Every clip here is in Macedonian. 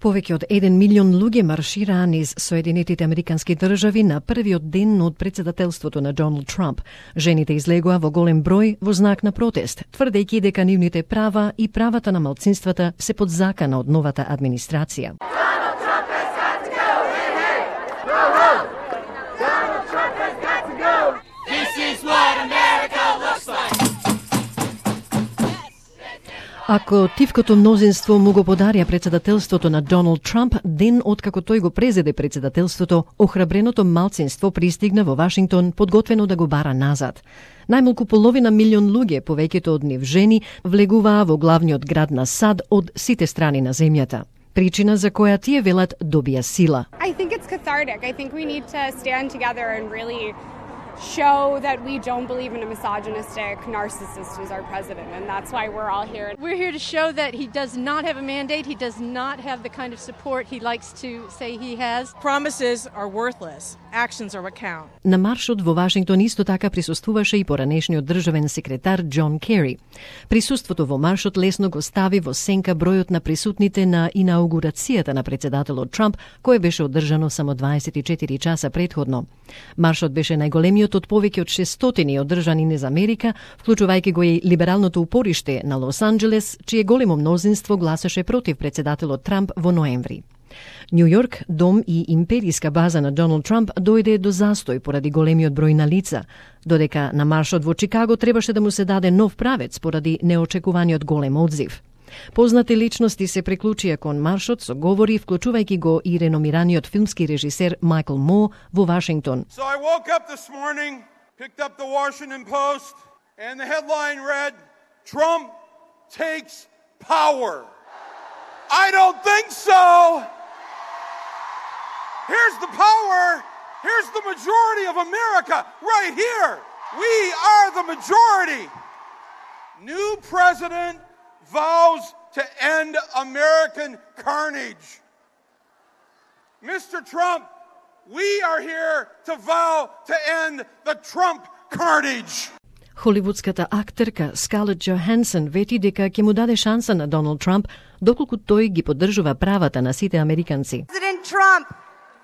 Повеќе од 1 милион луѓе маршираа низ Соединетите Американски држави на првиот ден од председателството на Доналд Трамп. Жените излегоа во голем број во знак на протест, тврдејќи дека нивните права и правата на малцинствата се под закана од новата администрација. Ако тивкото мнозинство му го подарија председателството на Доналд Трамп, ден откако тој го презеде председателството, охрабреното малцинство пристигна во Вашингтон подготвено да го бара назад. Најмалку половина милион луѓе, повеќето од нив жени, влегуваа во главниот град на САД од сите страни на земјата. Причина за која тие велат добија сила. I think it's cathartic. I think we need to stand together and really show that we don't believe in a misogynistic narcissist as our president, and that's why we're all here. We're here to show that he does not have a mandate, he does not have the kind of support he likes to say he has. Promises are worthless. Actions are what count. На маршот во Вашингтон исто така присуствуваше и поранешниот државен секретар Џон Кери. Присуството во маршот лесно го стави во сенка бројот на присутните на инаугурацијата на председателот Трамп, кој беше одржано само 24 часа претходно. Маршот беше најголемиот од повеќе од 600 одржани низ Америка, вклучувајќи го и либералното упориште на Лос Анџелес, чие големо мнозинство гласаше против председателот Трамп во ноември. Нју Јорк, дом и империска база на Доналд Трамп, дојде до застој поради големиот број на лица, додека на маршот во Чикаго требаше да му се даде нов правец поради неочекуваниот голем одзив. Познати личности се приклучија кон маршот со говори, вклучувајќи го и реномираниот филмски режисер Майкл Мо во Вашингтон. So I woke up this morning, picked up the Washington Post, and the headline read, Trump takes power. I don't think so. Here's the power. Here's the majority of America right here. We are the majority. New president vows to end American carnage. Mr. Trump, we are here to vow to end the Trump carnage. Холивудската актерка Скарлет Джохансен вети дека ќе му даде шанса на Доналд Трамп доколку тој ги поддржува правата на сите американци. President Trump,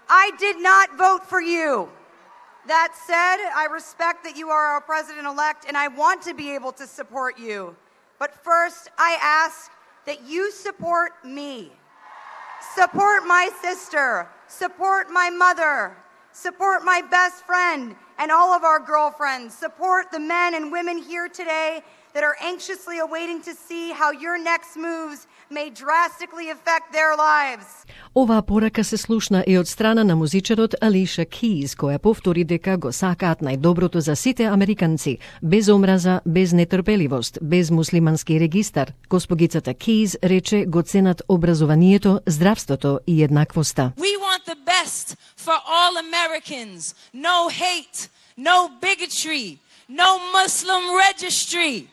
I did not vote for you. That said, I respect that you are our president-elect and I want to be able to support you. But first, I ask that you support me. Support my sister. Support my mother. Support my best friend and all of our girlfriends. Support the men and women here today that are anxiously awaiting to see how your next moves may drastically affect their lives. Оваа порака се слушна и од страна на музичарот Алиша Киз, која повтори дека го сакаат најдоброто за сите американци, без омраза, без нетрпеливост, без муслимански регистар. Госпогицата Киз рече го ценат образованието, здравството и еднаквоста. We want the best for all Americans. No hate, no bigotry, no Muslim registry.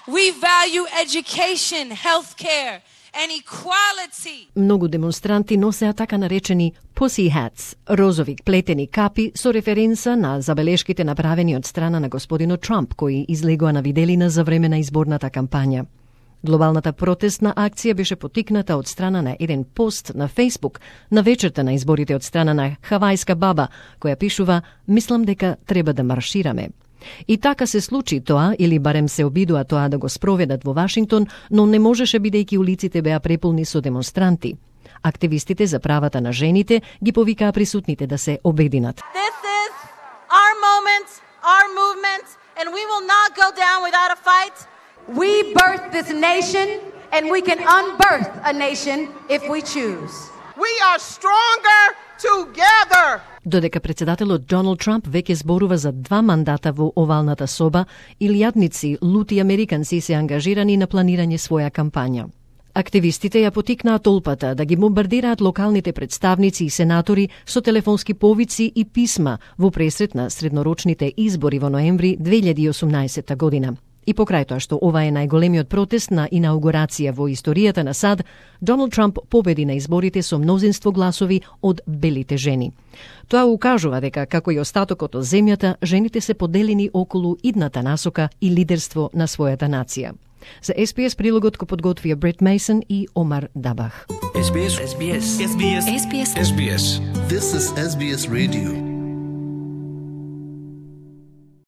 We value education, healthcare, and equality. Многу демонстранти носеа така наречени pussy hats, розови плетени капи со референца на забелешките направени од страна на господинот Трамп, кои излегоа на виделина за време на изборната кампања. Глобалната протестна акција беше потикната од страна на еден пост на Facebook на вечерта на изборите од страна на хавајска баба, која пишува «Мислам дека треба да маршираме». И така се случи тоа, или барем се обидоа тоа да го спроведат во Вашингтон, но не можеше бидејќи улиците беа преполни со демонстранти. Активистите за правата на жените ги повикаа присутните да се обединат. This is our moment, our movement, and we will not go down without a fight. We birthed this nation and we can unbirth a nation if we choose. We are stronger together. Додека председателот Доналд Трамп веќе зборува за 2 мандата во овалната соба, илјадници лути американци се ангажирани на планирање своја кампања. Активистите ја потикнаа толпата да ги бомбардираат локалните представници и сенатори со телефонски повици и писма во пресрет на среднорочните избори во ноември 2018 година. И покрај тоа што ова е најголемиот протест на инаугурација во историјата на САД, Доналд Трамп победи на изборите со мнозинство гласови од белите жени. Тоа укажува дека, како и остатокот од земјата, жените се поделени околу идната насока и лидерство на својата нација. За SBS прилогот го подготвија Брет Мейсон и Омар Дабах. SBS. This is SBS Radio.